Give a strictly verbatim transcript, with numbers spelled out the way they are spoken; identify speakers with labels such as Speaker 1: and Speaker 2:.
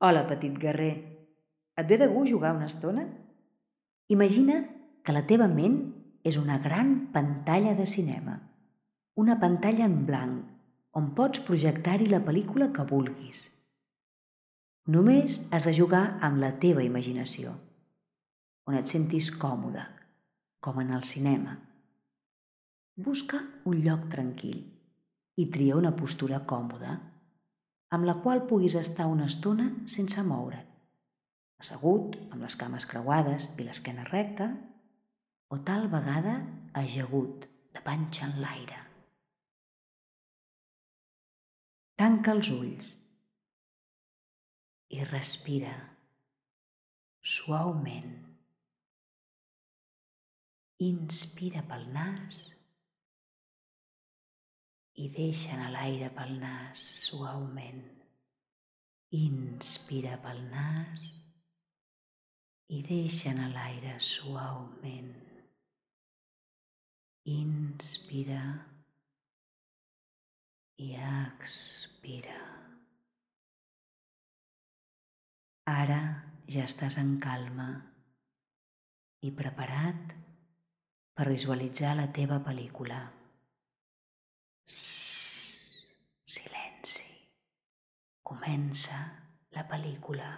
Speaker 1: Hola, petit guerrer. Et ve de gust jugar una estona? Imagina que la teva ment és una gran pantalla de cinema, una pantalla en blanc on pots projectar-hi la pel·lícula que vulguis. Només has de jugar amb la teva imaginació, on et sentis còmode, com en el cinema. Busca un lloc tranquil i tria una postura còmoda, amb la qual puguis estar una estona sense moure't, assegut, amb les cames creuades i l'esquena recta, o tal vegada ajagut, de panxa en l'aire. Tanca els ulls i respira suaument. Inspira pel nas i deixa anar l'aire pel nas suaument. Inspira pel nas i deixa anar l'aire suaument. Inspira i expira. Ara ja estàs en calma i preparat per visualitzar la teva pel·lícula. Shhh, silenci. Comença la pel·lícula.